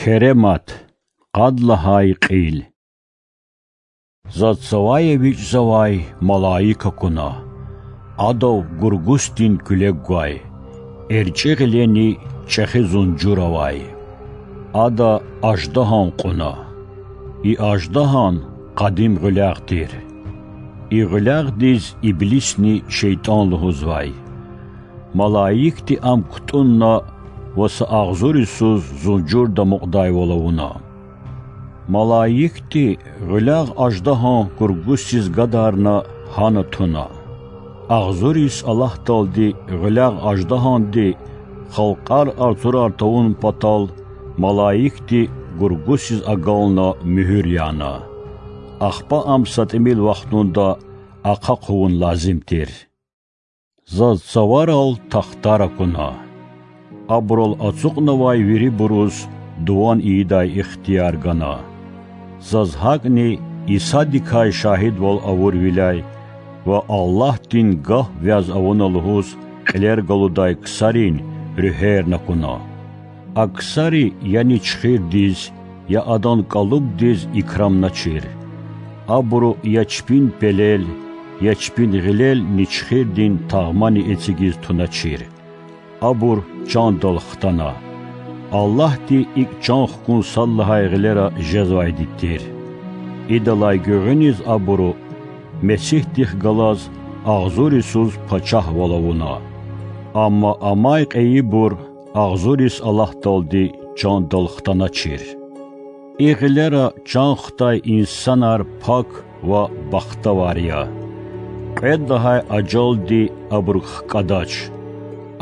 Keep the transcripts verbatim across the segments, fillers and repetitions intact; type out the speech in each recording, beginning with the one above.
Керемат, къад лагьай кьил. Заз цавай эвичӀзавай малаик акуна. Адав гургустин куьлег гвай, эрчӀи гъилени чӀехи зунжур авай. Ада аждагьан кьуна. И аждагьан къадим гъуьлягъ тир. И гъуьлягъдиз Иблисни шейтӀан лугьузвай. Малаикди ам кутӀунна ва са агъзур йисуз зунжурда амукьдайвал авуна. Малаикди гъуьлягъ аждагьан гургусиз гадарна, гьана туна. Агъзур йис Аллагьдалди гъуьлягъ аждагьанди халкьар алцурар тавун патал малаикди гургусиз агална муьгьуьр яна. Ахпа ам са тӀимил вахтунда ахъа хъувун лазим тир. Заз цаварал тахтар акуна. Абурал ацукьнавай вирибуруз дуван ийидай ихтияр гана. Заз гьакӀни Исадикай шагьидвал авурвиляй ва Аллагьдин гаф вяз авуна лугьуз кьилер галудай ксарин руьгьерни акуна. А ксари я ничхирдиз, я адан кӀалубдиз икрамначир. Абуру я чпин пелел, я чпин гъилел ничхирдин тагъмани эцигиз туначир. Абур чандал хтана. Аллагьди икӀ чан хкун сад лагьай гъилера жезвайди тир. Идалай гуьгъуьниз абуру Месигьдихъ галаз агъзур йисуз пачагьвал авуна. Амма амай кьейибур агъзур йис Аллагьдалди чандал хтаначир. И гъилера чан хтай инсанар пак ва бахтавар я. Кьвед лагьай ажалди абурук хкӀадач.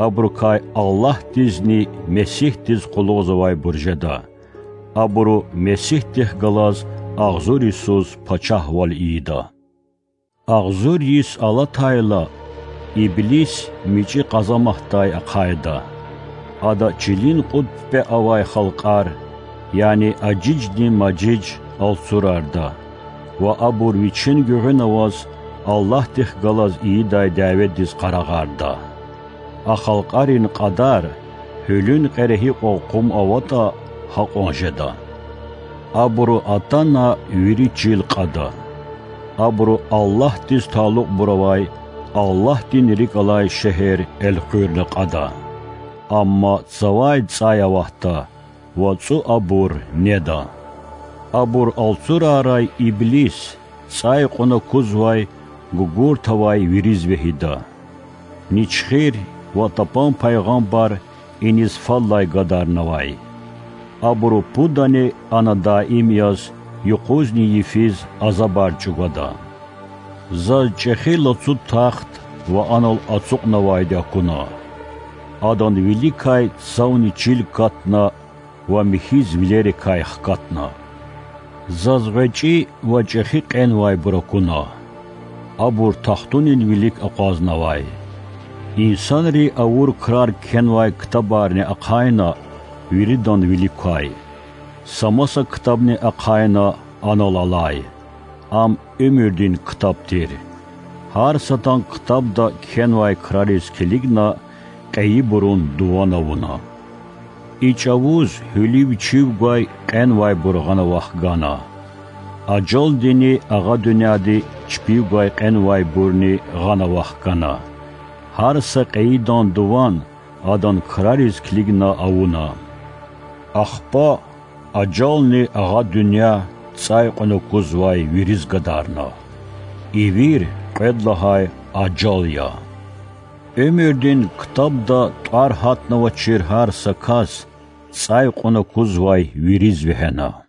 Абурукай Аллагьдизни Месигьдиз къуллугъзавайбур жеда. Абуру Месигьдихъ галаз агъзур йисуз пачагьвал ийида. Агъзур йис алатайла, Иблис мичӀи къазаматдай ахъайда. Ада чилин кьуд пипӀе авай халкьар, яни Ажижни Мажиж алцурарда ва абур вичин гуьгъуьна аваз Аллагьдихъ галаз ийидай дяведиз къарагъарда. А халкьарин кьадар, гьуьлуьн кьере гьикьван къум аватӀа, гьакьван жеда. Абуру атана вири чил кьада. Абуру Аллагьдиз талукьбур авай, Аллагьдин рикӀ алай шегьер элкъуьрна кьада. Амма цавай цӀай аватда, вацӀу абур неда. Абур алцурарай Иблис цӀай кьуна кузвай гугурт авай вириз вегьида. Ничхир ва тапан пайгъамбар иниз фадлай гадарнавай. Абуру пудани ана даим яз, юкъузни йифиз азабар чӀугвада. Заз чӀехи лацу тахт ва анал ацукьнавайди акуна. Адан виликай цавни чил катна ва михьиз вилерикай хкатна. Заз гъвечӀи ва чӀехи кьенвайбур акуна. Абур тахтунин вилик акъвазнавай. Инсанри авур крар кхьенвай ктабарни ахъайна виридан вилик квай. Са маса ктабни ахъайна анал алай. Ам уьмуьрдин ктаб тир. Гьар садан ктабда кхьенвай крариз килигна, кьейибурун дуван авуна. И чӀавуз гьуьлуьв-чуьв гвай кьенвайбур гъана вахгана. Ажалдини агъа дуьньяди чпив гвай кьенвайбурни гъана вахгана. Гьар са кьейидан дуван адан крариз килигна авуна. Ахпа ажални агъа дуьнья цӀай кьуна кузвай вириз гадарна. И вир кьвед лагьай ажал я. Уьмуьрдин ктабда тӀвар гьатнавачир гьар са кас цӀай кьуна кузвай вириз вегьена.